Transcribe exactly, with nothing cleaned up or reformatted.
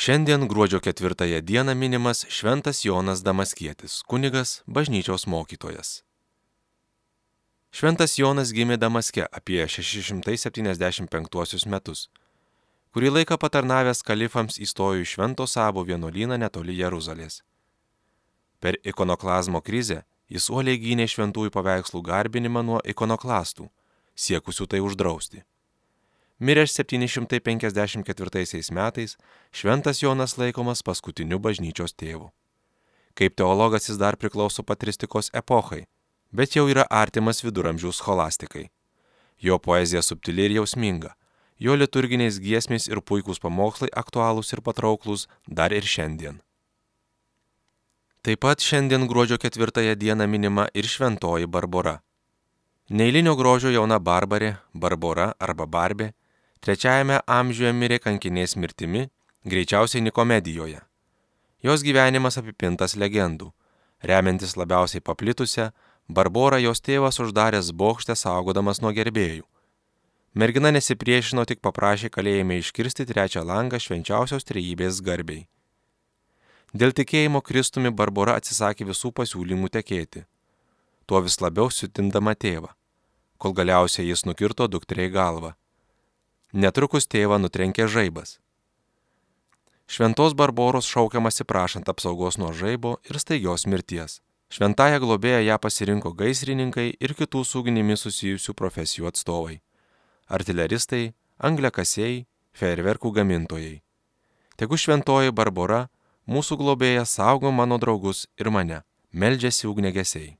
Šiandien gruodžio ketvirtąją dieną minimas Šventas Jonas Damaskietis, kunigas, bažnyčios mokytojas. Šventas Jonas gimė Damaske apie šeši šimtai septyniasdešimt penktuosius metus. Kurį laiką patarnavęs kalifams įstojo į Švento Sabo vienuolyną netoli Jeruzalės. Per ikonoklazmo krizę jis uoliai gynė šventųjų paveikslų garbinimą nuo ikonoklastų, siekusių tai uždrausti. Miręs septyni šimtai penkiasdešimt ketvirtaisiais metais, Šventas Jonas laikomas paskutiniu bažnyčios tėvu. Kaip teologas jis dar priklauso patristikos epochai, bet jau yra artimas viduramžių scholastikai. Jo poezija subtili ir jausminga, jo liturginės giesmės ir puikūs pamokslai aktualūs ir patrauklūs dar ir šiandien. Taip pat šiandien gruodžio ketvirtąją dieną minima ir šventoji Barbora. Neeilinio grožio jauna barbarė, Barbora arba Barbė, trečiajame amžiuje mirė kankinės mirtimi, greičiausiai Nikomedijoje. Jos gyvenimas apipintas legendų. Remiantis labiausiai paplitusią, Barborą jos tėvas uždaręs bokšte saugodamas nuo gerbėjų. Mergina nesipriešino, tik paprašė kalėjime iškirsti trečią langą švenčiausios trejybės garbei. Dėl tikėjimo Kristumi Barbora atsisakė visų pasiūlymų tekėti, tuo vis labiau siutindama tėvą, kol galiausiai jis nukirto dukteriai galvą. Netrukus tėvą nutrenkė žaibas. Šventos Barboros šaukiamasi prašant apsaugos nuo žaibo ir staigios mirties. Šventąją globėją ją pasirinko gaisrininkai ir kitų su ugnimi susijusių profesijų atstovai. Artileristai, angliakasiai, fejerverkų gamintojai. Tegu šventoji Barbora, mūsų globėja, saugo mano draugus ir mane, meldžiasi ugniagesiai.